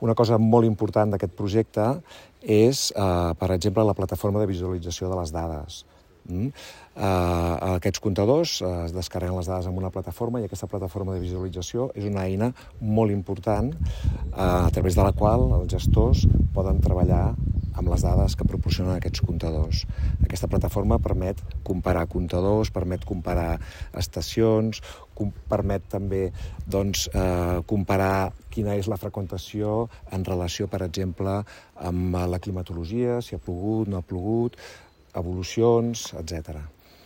Una cosa molt important d'aquest projecte és, per exemple, la plataforma de visualització de les dades. Aquests comptadors es descarreguen les dades en una plataforma i aquesta plataforma de visualització és una eina molt important a través de la qual els gestors poden treballar amb les dades que proporcionen aquests comptadors. Aquesta plataforma permet comparar comptadors, permet comparar estacions, permet també comparar quina és la freqüentació en relació, per exemple, amb la climatologia, si ha plogut, no ha plogut, evolucions, etc.